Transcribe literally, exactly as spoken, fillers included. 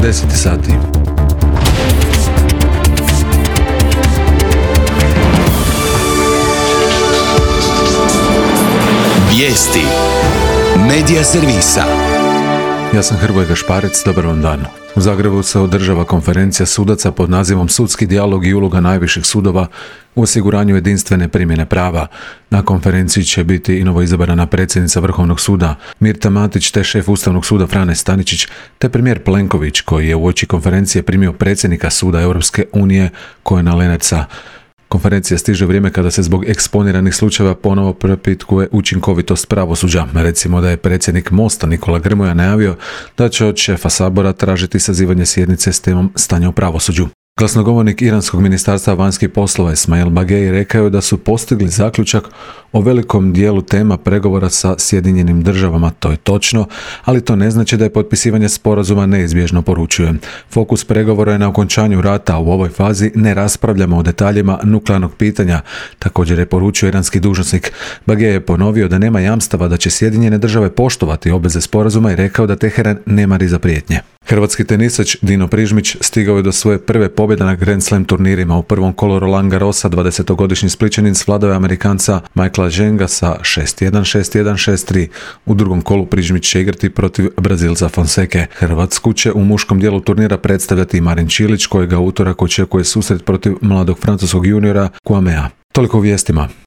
deset sati. Vijesti Medija servisa. Ja sam Hrvoje Gašparec, dobar vam dan. U Zagrebu se održava konferencija sudaca pod nazivom Sudski dijalog i uloga najviših sudova u osiguranju jedinstvene primjene prava. Na konferenciji će biti i novoizabrana predsjednica Vrhovnog suda Mirta Matić te šef Ustavnog suda Frane Staničić te premijer Plenković koji je uoči konferencije primio predsjednika Suda Europske unije Kojena Lenartsa. Konferencija stiže vrijeme kada se zbog eksponiranih slučajeva ponovo propitkuje učinkovitost pravosuđa. Recimo da je predsjednik Mosta Nikola Grmoja najavio da će od šefa Sabora tražiti sazivanje sjednice s temom stanja u pravosuđu. Glasnogovornik Iranskog ministarstva vanjskih poslova Esmail Bagej rekao je da su postigli zaključak o velikom dijelu tema pregovora sa Sjedinjenim državama. To je točno, ali to ne znači da je potpisivanje sporazuma neizbježno, poručuje. Fokus pregovora je na okončanju rata, a u ovoj fazi ne raspravljamo o detaljima nuklearnog pitanja, također je poručio iranski dužnosnik. Bagej je ponovio da nema jamstava da će Sjedinjene države poštovati obveze sporazuma i rekao da Teheran ne mari za prijetnje. Hrvatski tenisač Dino Prižmić stigao je do svoje prve pobjede na Grand Slam turnirima. U prvom kolu Roland Garrosa dvadesetogodišnji Splićanin svladao je Amerikanca Michaela Ženga sa šest jedan, šest jedan, šest tri. U drugom kolu Prižmić će igrati protiv Brazilca Fonseke. Hrvatsku će u muškom dijelu turnira predstavljati Marin Čilić, kojega utorak očekuje susret protiv mladog francuskog juniora Kouamea. Toliko u vijestima.